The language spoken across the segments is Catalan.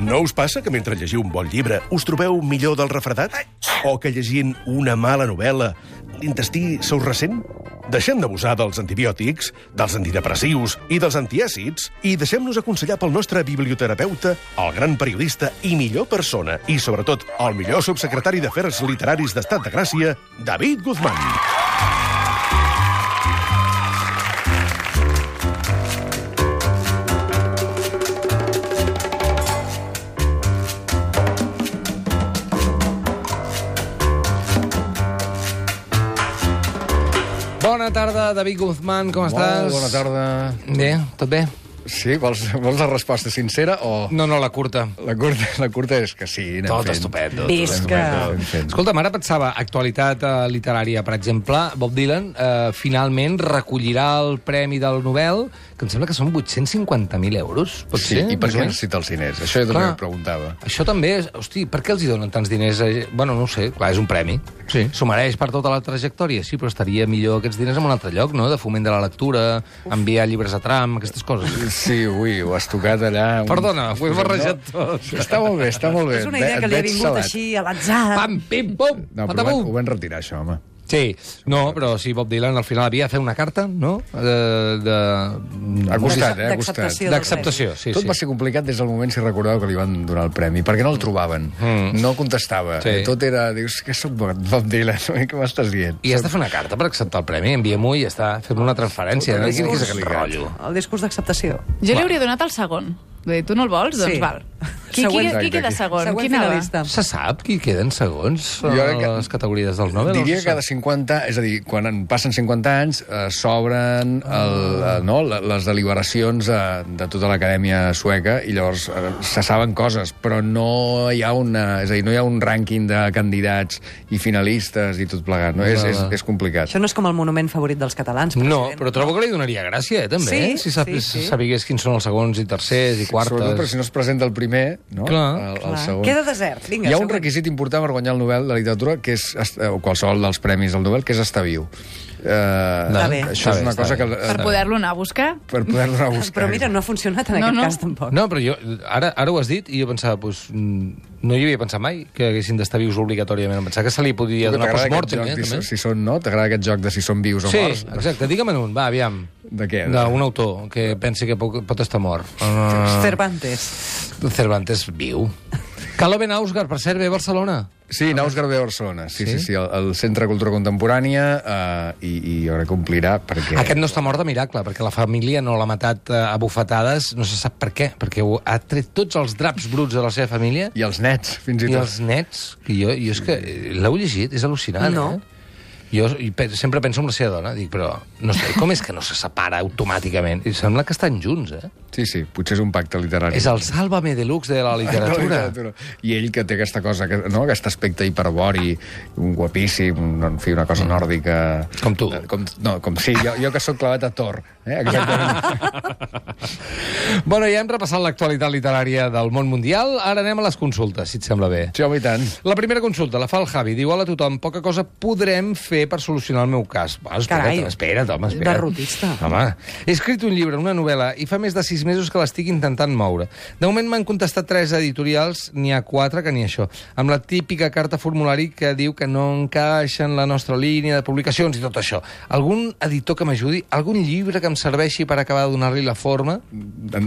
No us passa que mentre llegiu un bon llibre us trobeu millor del refredat? O que llegint una mala novel·la l'intestí se us ressent? Deixem d'abusar dels antibiòtics, dels antidepressius i dels antiàcids i deixem-nos aconsellar pel nostre biblioterapeuta, el gran periodista i millor persona, i sobretot el millor subsecretari d'Afers Literaris d'Estat de Gràcia, David Guzmán. Bona tarda, David Guzmán, com estàs? Molt bona tarda. Bé, tot bé? Sí? Vols la resposta sincera o...? No, la curta. La curta és que sí, anem Tot fent. estupendo. Visca. Escolta'm, ara pensava, actualitat literària, per exemple, Bob Dylan finalment recollirà el Premi del Nobel, que em sembla que són 850.000 euros. Pot Sí, ser? i per què Més o menys? necessita els diners? Això jo també Clar. em preguntava. Això també és... Hosti, per què els hi donen tants diners? Bueno, no ho sé, clar, és un premi. Sí. S'ho mereix per tota la trajectòria, sí, però estaria millor aquests diners en un altre lloc, no? De foment de la lectura, enviar llibres a tram, aquestes coses. Sí, ui, ho has tocat allà... Perdona, ho he barrejat tot. Està molt bé, està molt bé. És una idea que li ha vingut així a l'atzar. Pam, pim, pum, No, però patabum. ho van retirar, això, home. Sí, no, però sí, Bob Dylan al final havia de fer una carta, no? Ha costat, ha costat. D'acceptació. D'acceptació, sí, Tot sí. va ser complicat des del moment, si recordeu, que li van donar el premi, perquè no el trobaven, no contestava. Sí. Tot era, dius, que soc Bob Dylan, què m'estàs dient? I has de fer una carta per acceptar el premi, envia-m'ho i ja està, fem una transferència. Tot No? el Quin és aquest discurs. rotllo? El discurs d'acceptació. Jo li hauria donat el segon. Vull dir, tu no el vols? Doncs Sí. val. Qui Següent. queda segon? Següent Qui anava? finalista. Se sap qui queden segons Jo crec que- les categories dels Nobel? Diria No que se cada sap. 50, és a dir, quan en passen 50 anys, s'obren les deliberacions de tota l'acadèmia sueca i llavors se saben coses, però no hi ha és a dir, no hi ha un rànquing de candidats i finalistes i tot plegat, no? És complicat. Això no és com el monument favorit dels catalans, No, president. però trobo que li donaria gràcia, també, Sí, si sí. sabigués quins són els segons i tercers i quartes. Sobretot, però si no es presenta el primer, no? Clar. El Clar. segon. Queda desert. Vinga, Hi ha un següent. requisit important per guanyar el Nobel de Literatura, que és, o qualsevol dels premis del Nobel, que és estar viu. Està bé. Això és una cosa que... Per poder-lo anar a buscar? Per poder-lo anar a buscar. Però mira, no ha funcionat en No, aquest no. cas tampoc. No, però jo, ara ho has dit i jo pensava, doncs, no hi havia pensat mai que haguessin d'estar vius obligatòriament. Em pensava que se li podia donar T'agrada post-mortem, aquest joc, també. si són, no? T'agrada aquest joc de si són vius o Sí, morts? exacte. Digue'm un, va, aviam. De què? D'un autor que pensi que pot estar mort. Cervantes. Cervantes viu. Caloven Ausgar, per cert, ve a Barcelona. Sí, Naus Garbé a Barcelona. Sí, el Centre de Cultura Contemporània i jo crec que omplirà perquè... Aquest no està mort de miracle, perquè la família no l'ha matat a bufetades, no se sap per què, perquè ha tret tots els draps bruts de la seva família I els nets, fins i i tot. els nets, que jo és que l'heu llegit, és al·lucinant, No. Jo sempre penso en la seva dona, dic, però no sé, com és que no se separa automàticament? I sembla que estan junts, Sí, potser és un pacte literari. És el Sálvame Deluxe de la literatura. I ell que té aquesta cosa, no? Aquest aspecte hiperbori, un guapíssim, en fi, una cosa nòrdica... Com tu. Sí, jo que sóc clavat a Thor. Exactament. Bueno, ja hem repassat l'actualitat literària del món mundial, ara anem a les consultes, si et sembla bé. Sí, home, i tant. La primera consulta la fa el Javi. Diu, hola a tothom, poca cosa podrem fer per solucionar el meu cas. Va, espera't, home. Derrotista. Home, he escrit un llibre, una novel·la, i fa més de 6 mesos que l'estic intentant moure. De moment m'han contestat 3 editorials, n'hi ha 4 que ni això, amb la típica carta formulari que diu que no encaixa en la nostra línia de publicacions i tot això. Algun editor que m'ajudi? Algun llibre que em serveixi per acabar de donar-li la forma?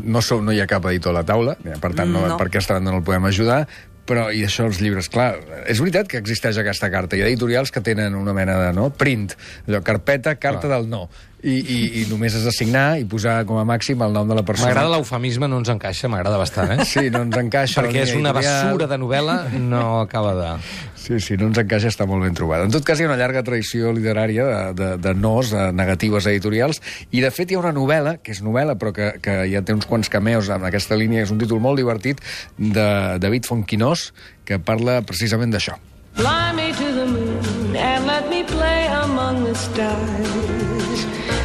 No hi ha cap editor a la taula, per tant, No. per aquesta banda no el podem ajudar, però, i això, els llibres, clar, és veritat que existeix aquesta carta. Hi ha editorials que tenen una mena de print, allò, carpeta, carta del no. I només has de signar i posar com a màxim el nom de la persona. M'agrada l'eufemisme, no ens encaixa, m'agrada bastant, Sí, no ens encaixa. Perquè és una editorial. basura de novel·la, no acaba de... Sí, no ens encaixa, està molt ben trobat. En tot cas, hi ha una llarga tradició literària de nos, de negatives editorials, i de fet hi ha una novel·la, que és novel·la, però que ja té uns quants cameos en aquesta línia, és un títol molt divertit, de David Fontquinós, que parla precisament d'això. Fly me to the moon and let me play among the stars.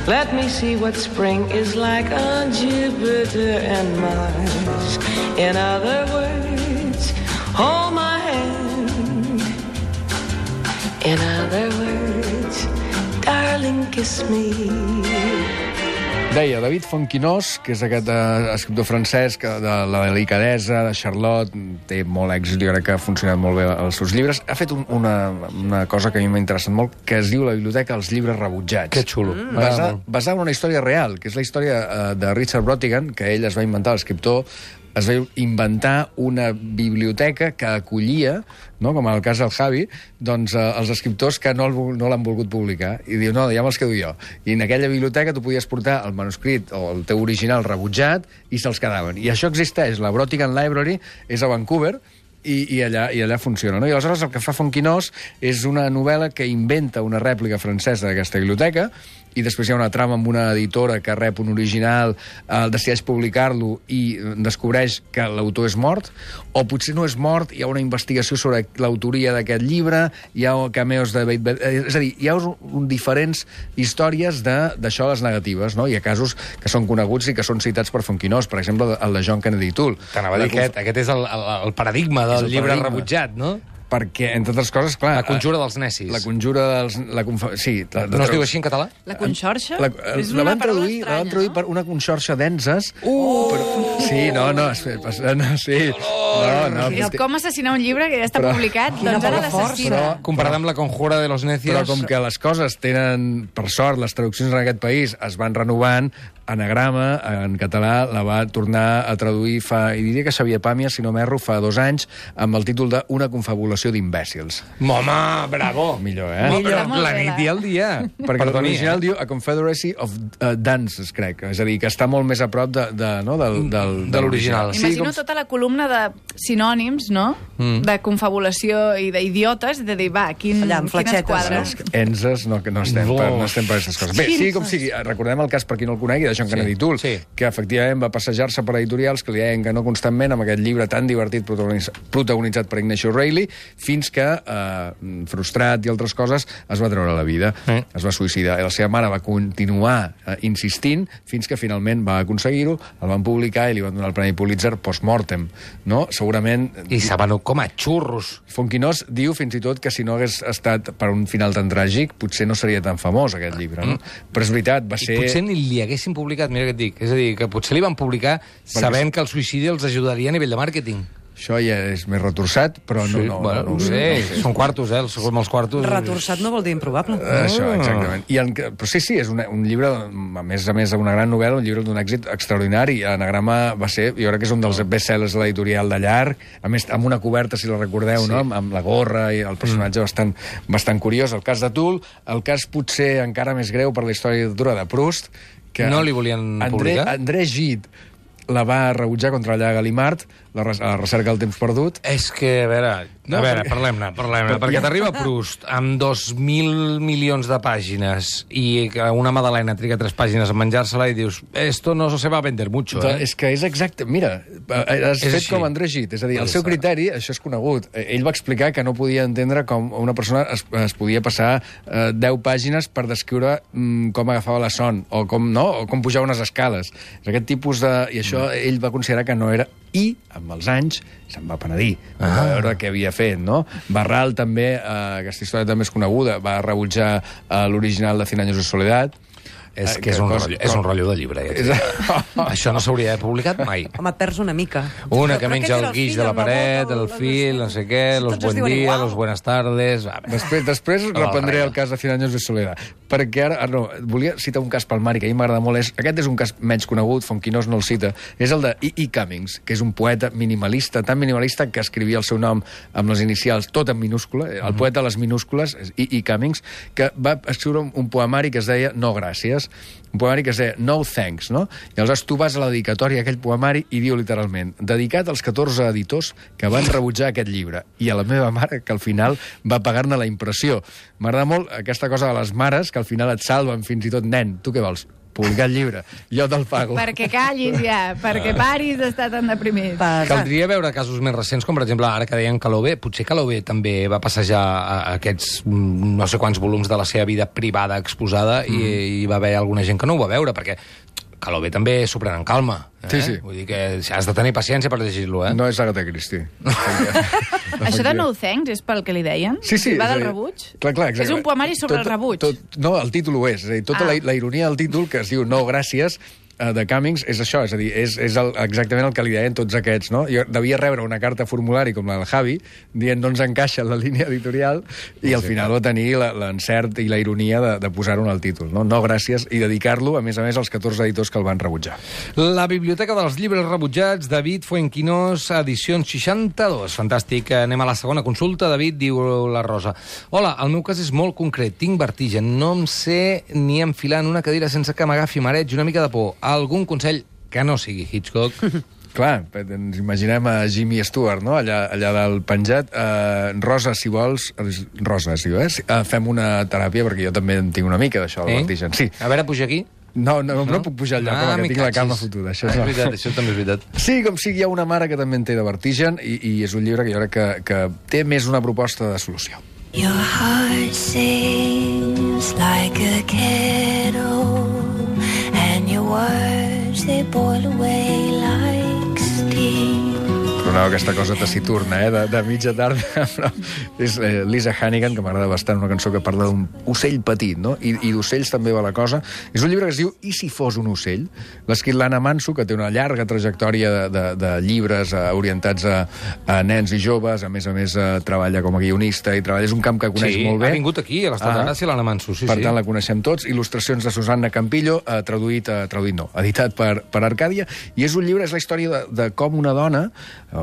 Let me see what spring is like on Jupiter and Mars. In other words, hold my hand. In other words, darling, kiss me. Deia David Fonquinós, que és aquest escriptor francès que de la delicadesa, de Charlotte, té molt èxit, jo crec que ha funcionat molt bé els seus llibres. Ha fet una cosa que a mi m'ha interessat molt, que es diu La biblioteca dels llibres rebutjats. Que xulo. Basada en una història real, que és la història de Richard Brautigan, que ell es va inventar, l'escriptor, es va inventar una biblioteca que acollia, no, com en el cas del Javi, doncs, els escriptors que no l'han volgut publicar. I diu, no, ja me'ls quedo jo. I en aquella biblioteca tu podies portar el manuscrit o el teu original rebutjat i se'ls quedaven. I això existeix. La Brautigan Library és a Vancouver, i allà funciona. No? I aleshores el que fa Fonquinós és una novel·la que inventa una rèplica francesa d'aquesta biblioteca, i després hi ha una trama amb una editora que rep un original, decideix publicar-lo i descobreix que l'autor és mort, o potser no és mort, hi ha una investigació sobre l'autoria d'aquest llibre, hi ha cameos de... És a dir, hi ha diferents històries d'això, les negatives, no? Hi ha casos que són coneguts i que són citats per Fonquinós, per exemple, el de John Kennedy Toole. T'anava a dir aquest és el paradigma del llibre rebutjat, no? Perquè, entre altres coses, clar... La conjura dels necis. La conjura dels... Sí. No es diu així en català? La conxorxa? És la van traduir per una conxorxa d'enzes. Sí, sí. És com assassinar un llibre que ja està publicat, doncs ara l'assassina. Comparat amb la conjura de los necios... Però com que les coses tenen, per sort, les traduccions en aquest país es van renovant, Anagrama, en català, la va tornar a traduir i diria que Xavier Pàmies, si no m'erro, fa 2 anys, amb el títol de Una confabulació d'imbècils. Home, bravo! Millor, La nit i el dia. Perquè l'original diu A Confederacy of Dances, crec. És a dir, que està molt més a prop de l'original. Imagino tota la columna de sinònims, no? De confabulació i d'idiotes, de dir, va, quines quadres. Enses, no estem per aquestes coses. Bé, sigui com sigui, recordem el cas, per qui no el conegui, de John Kennedy Toole, que efectivament va passejar-se per editorials que li deien que no constantment amb aquest llibre tan divertit protagonitzat per Ignacio Reilly, fins que, frustrat i altres coses, es va treure la vida. Es va suïcidar. I la seva mare va continuar insistint fins que finalment va aconseguir-ho, el van publicar i li van donar el Premi Pulitzer post-mortem. No? Segurament... I se van com a xurros. Fonquinós diu fins i tot que si no hagués estat per un final tan tràgic, potser no seria tan famós aquest llibre. No? Però és veritat, va ser... I potser ni li haguessin publicat, mira què et dic. És a dir, que potser li van publicar sabent que el suïcidi els ajudaria a nivell de màrqueting. Això ja és més retorçat, però no ho sé. Són quartos, els quartos... Retorçat no vol dir improbable. Això, exactament. Però sí, és un llibre, a més, una gran novel·la, un llibre d'un èxit extraordinari. Anagrama va ser, jo crec que és un dels best-sellers de l'editorial de llarg, a més, amb una coberta, si la recordeu, no? Amb la gorra i el personatge bastant curiós. El cas de Toole, el cas potser encara més greu per la història de literatura de Proust, que no li volien publicar? André Gide la va rebutjar contra la Gallimard, la recerca del temps perdut. És que, a veure, parlem-ne, perquè t'arriba Proust amb 2.000 milions de pàgines i una Madalena triga 3 pàgines a menjar-se-la i dius, esto no se va vender mucho, És que és exacte. Mira, has fet com André Gide, és a dir, el seu criteri, això és conegut. Ell va explicar que no podia entendre com una persona es podia passar 10 pàgines per descriure com agafava la son, o com pujava unes escales. És aquest tipus de... I això ell va considerar que no era... I, amb els anys, se'n va penedir. Va veure què havia fet, no? Barral també, aquesta història també és coneguda, va rebutjar l'original de 100 años de soledad. És que és un rotllo de llibre. Això no s'hauria de publicat mai. Home, et perds una mica. Una que menja el guix de la paret, el fil, no sé què, los buen dia, los buenas tardes... Després reprendré el cas de 100 años de soledad. Perquè ara, volia citar un cas palmari que a mi m'agrada molt. Aquest és un cas menys conegut, Fonquinós no el cita. És el de E. Cummings, que és un poeta minimalista, tan minimalista que escrivia el seu nom amb les inicials tot en minúscula. El poeta de les minúscules, E. Cummings, que va escriure un poemari que es deia No gràcies, un poemari que es deia No Thanks, no? I aleshores tu vas a la dedicatòria d'aquell poemari i diu literalment, dedicat als 14 editors que van rebutjar aquest llibre, i a la meva mare, que al final va pagar-ne la impressió. M'agrada molt aquesta cosa de les mares, que al final et salven fins i tot, nen, tu què vols? Publicar el llibre, jo te'l pago. Perquè callis ja, perquè paris d'estar tan deprimit. Caldria veure casos més recents, com per exemple ara que deien Calové. Potser Calové també va passejar aquests no sé quants volums de la seva vida privada exposada i va haver alguna gent que no ho va veure, perquè que l'OB també s'ho pren en calma. Sí. Vull dir que has de tenir paciència per llegir-lo, No és Agatha Christie. Això de No Thanks és pel que li deien? Sí. Va del rebuig? Clar, exacte. És un poemari sobre el rebuig? No, el títol ho és. És a dir, tota la ironia del títol, que es diu No, gràcies, de Cummings, és això, és a dir, és exactament el que li deien tots aquests, no? Jo devia rebre una carta formulari com la del Javi, dient no ens encaixa en la línia editorial, i al final va tenir l'encert i la ironia de posar-ho en el títol, no? No, gràcies, i dedicar-lo, a més, als 14 editors que el van rebutjar. La Biblioteca dels Llibres Rebutjats, David Fuenquinós, edicions 62. Fantàstic. Anem a la segona consulta. David, diu la Rosa. Hola, el meu cas és molt concret. Tinc vertigen. No em sé ni enfilar en una cadira sense que m'agafi mareig i una mica de por. Algun consell que no sigui Hitchcock? Clar, ens imaginem a Jimmy Stewart, no?, allà dalt penjat. Rosa, si vols... Rosa, si vols, fem una teràpia, perquè jo també en tinc una mica d'això, del vertigen. Sí. A veure, puja aquí. No puc pujar al lloc, que tinc la cama fotuda. Això és veritat, això també és veritat. Sí, com sigui, hi ha una mare que també en té de vertigen, i és un llibre que jo crec que té més una proposta de solució. Your heart sings like a kettle, and your words, they boil away like steam. Sonava aquesta cosa taciturna, de mitja tarda, però és Lisa Hannigan, que m'agrada bastant, una cançó que parla d'un ocell petit, no? I d'ocells també va la cosa. És un llibre que es diu I si fos un ocell? L'ha escrit l'Anna Manso, que té una llarga trajectòria de llibres orientats a nens i joves, a més treballa com a guionista i treballa, és un camp que coneix molt bé. Ha vingut aquí, a l'Estat de Gràcia, l'Anna Manso, sí. Per tant, la coneixem tots. Il·lustracions de Susanna Campillo, editat per Arcàdia, i és un llibre, és la història de com una dona,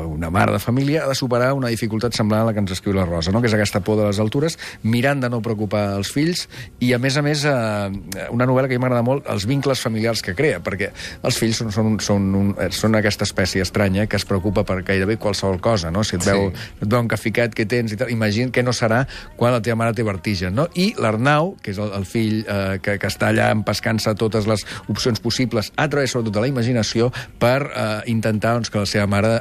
una mare de família, ha de superar una dificultat semblant a la que ens escriu la Rosa, no?, que és aquesta por de les altures, mirant de no preocupar els fills, i a més, una novel·la que a mi m'agrada molt, els vincles familiars que crea, perquè els fills són aquesta espècie estranya que es preocupa per gairebé qualsevol cosa, no? Si et veu un caficat que tens i tal, imagina què no serà quan la teva mare té vertigen, no? I l'Arnau, que és el fill que està allà empescant-se totes les opcions possibles, a través sobretot de la imaginació, per intentar que la seva mare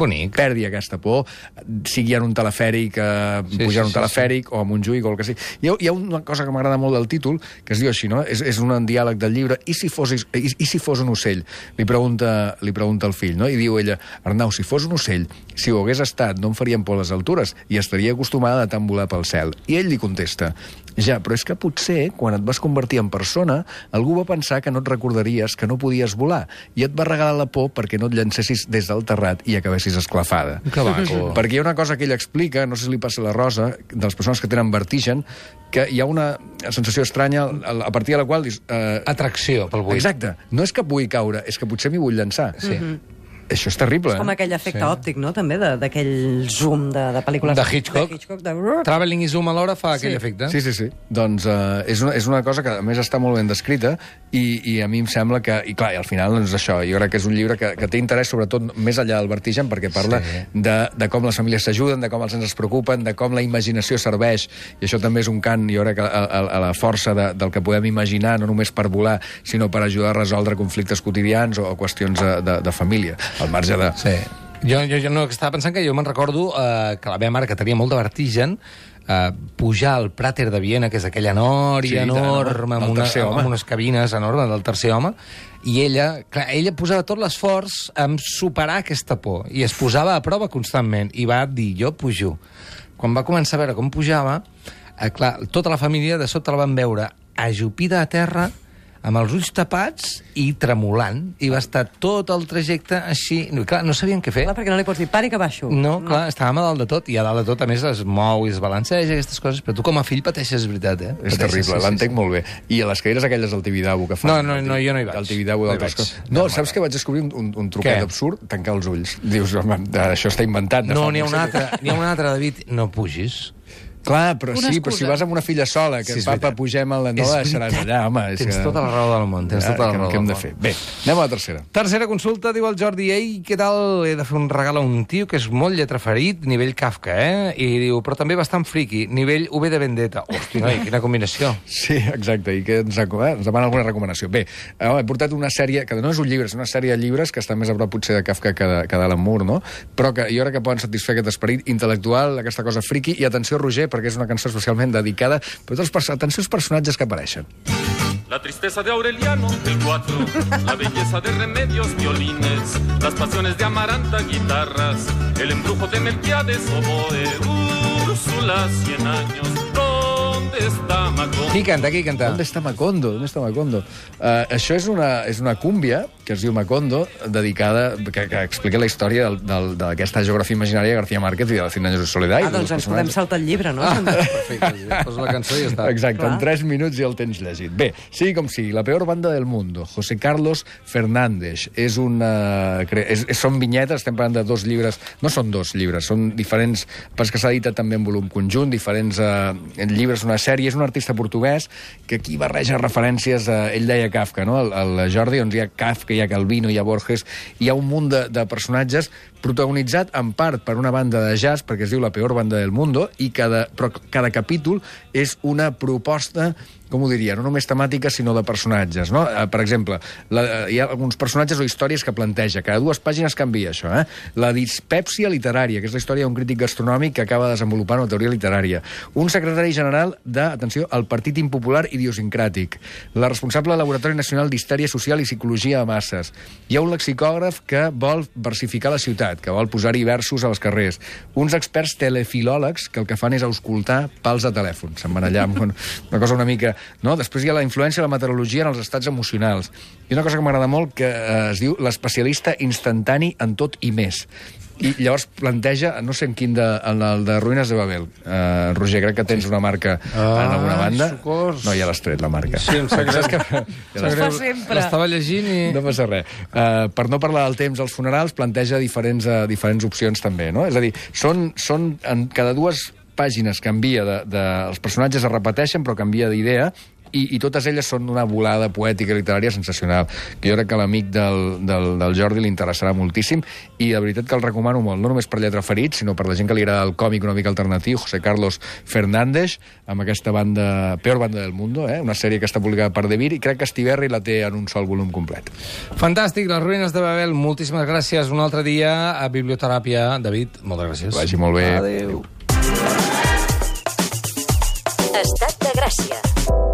perdi aquesta por, sigui en un telefèric, pujar en un telefèric, o en un Montjuïc, o el que sigui. Hi ha una cosa que m'agrada molt del títol, que es diu així, no? És un diàleg del llibre, i si fos un ocell? Li pregunta el fill, no? I diu ella, Arnau, si fos un ocell, si ho hagués estat, no em farien por les altures, i estaria acostumada a tant volar pel cel. I ell li contesta, ja, però és que potser, quan et vas convertir en persona, algú va pensar que no et recordaries que no podies volar, i et va regalar la por perquè no et llancessis des del terrat i acabessis esclafada. Que maco. Perquè hi ha una cosa que ell explica, no sé si li passa a la Rosa, de les persones que tenen vertigen, que hi ha una sensació estranya a partir de la qual dius... Atracció pel buit. Exacte. No és que pugui caure, és que potser m'hi vull llançar. Sí. Això és terrible, És com aquell efecte òptic, no?, també, d'aquell zoom de pel·lícules... De Hitchcock. Traveling i zoom alhora fa aquell efecte. Sí. Doncs és una cosa que, a més, està molt ben descrita, i a mi em sembla que... I clar, i al final, doncs això, jo crec que és un llibre que té interès, sobretot, més enllà del vertigen, perquè parla de com les famílies s'ajuden, de com els nens es preocupen, de com la imaginació serveix, i això també és un cant, jo crec, a la força del que podem imaginar, no només per volar, sinó per ajudar a resoldre conflictes quotidians o qüestions de família. Al marge de... Sí. Jo no, estava pensant que jo me'n recordo que la meva mare, que tenia molt de vertigen, pujar al Prater de Viena, que és aquella nòria enorme, amb unes cabines enormes del tercer home, i ella posava tot l'esforç en superar aquesta por, i es posava a prova constantment, i va dir, jo pujo. Quan va començar a veure com pujava, clar, tota la família de sobte la van veure ajupida a terra, amb els ulls tapats i tremolant, i va estar tot el trajecte així. Clar, no sabien què fer. Clar, perquè no li pots dir, pari que baixo. No, clar, estàvem a dalt de tot, i a dalt de tot, a més, es mou i es balanceja, aquestes coses, però tu com a fill pateixes, és veritat, És terrible, l'entenc molt bé. I a les cadires aquelles del Tibidabo que fan... No, jo no hi vaig. Del Tibidabo d'altres coses. No, saps que vaig descobrir un truquet absurd? Tancar els ulls. Dius, home, això està inventat. No, n'hi ha una altra, David, no pugis. Clar, però si vas amb una filla sola, que papa, pugem a la nola, deixaràs allà, home. Tens tota la raó del món, tens tota la raó del món. Què hem de fer? Bé, anem a la tercera. Tercera consulta, diu el Jordi, ei, què tal? He de fer un regal a un tio que és molt lletraferit, nivell Kafka, I diu, però també bastant friqui, nivell V de Vendetta. Hosti, noi, quina combinació. Sí, exacte, i que ens demana alguna recomanació. Bé, he portat una sèrie, que no és un llibre, és una sèrie de llibres que estan més a prop potser de Kafka que d'Alan Moore, no? Però que jo crec que poden satisfer aquest esperit intel·lectual, aquesta cosa friqui, i atenció, Roger, perquè és una cançó especialment dedicada, però atenció als personatges que apareixen. La tristeza de Aureliano, el 4, la belleza de Remedios, violines, las pasiones de Amaranta, guitarras, el embrujo de Melquiades, oboe, Úrsula, 100 años, ¿dónde está Macondo? Qui canta, qui canta? ¿Dónde está Macondo? ¿Dónde está Macondo? Això és una cúmbia que es diu Macondo, dedicada, que explica la història d'aquesta geografia imaginària de García Márquez i de Cien años de soledad. Doncs ens podem saltar el llibre, no? Perfecte, posa la cançó i ja està. Exacte, en 3 minuts ja el tens llegit. Bé, sigui com sigui, La peor banda del mundo, José Carlos Fernández, són vinyetes, estem parlant de 2 llibres, no són 2 llibres, són diferents, perquè s'ha editat també en volum conjunt, diferents llibres, una sèrie, és un artista portuguès que aquí barreja referències, ell deia Kafka, no? El Jordi, doncs hi ha Kafka, hi ha Calvino, hi ha Borges, hi ha un munt de personatges protagonitzat en part per una banda de jazz, perquè es diu La peor banda del mundo, i però cada capítol és una proposta, com ho diria, no només temàtica, sinó de personatges, no? Per exemple, hi ha alguns personatges o històries que planteja. Cada 2 pàgines canvia això, eh? La dispèpsia literària, que és la història d'un crític gastronòmic que acaba desenvolupant una teoria literària. Un secretari general atenció, el Partit Impopular Idiosincràtic. La responsable del Laboratori Nacional d'Histèria Social i Psicologia a Masses. Hi ha un lexicògraf que vol versificar la ciutat, que vol posar-hi versos a les carrers. Uns experts telefilòlegs que el que fan és auscultar pals de telèfon. Se'n van allà amb una cosa una mica... No? Després hi ha la influència de la meteorologia en els estats emocionals. I una cosa que m'agrada molt que es diu l'especialista instantani en tot i més. I llavors planteja, no sé en quin, el de Ruïnes de Babel. Roger, crec que tens una marca en alguna banda. Socors. No, ja l'has tret, la marca. Sí, em sap greu. Fa sempre. L'estava llegint i... No passa res. Per no parlar del temps als funerals, planteja diferents opcions també, no? És a dir, són en cada 2 pàgines canvia, els personatges es repeteixen però canvia d'idea, i totes elles són una volada poètica i literària sensacional, que jo crec que a l'amic del Jordi li interessarà moltíssim, i de veritat que el recomano molt, no només per Lletra Ferit, sinó per la gent que li agrada el còmic una mica alternatiu, José Carlos Fernández, amb aquesta banda, Peor banda del mundo, una sèrie que està publicada per Devir, i crec que Estiberri la té en un sol volum complet. Fantàstic, Les Ruïnes de Babel, moltíssimes gràcies. Un altre dia a Biblioteràpia. David, moltes gràcies. Que vagi molt bé. Adéu. Estat de Gràcia.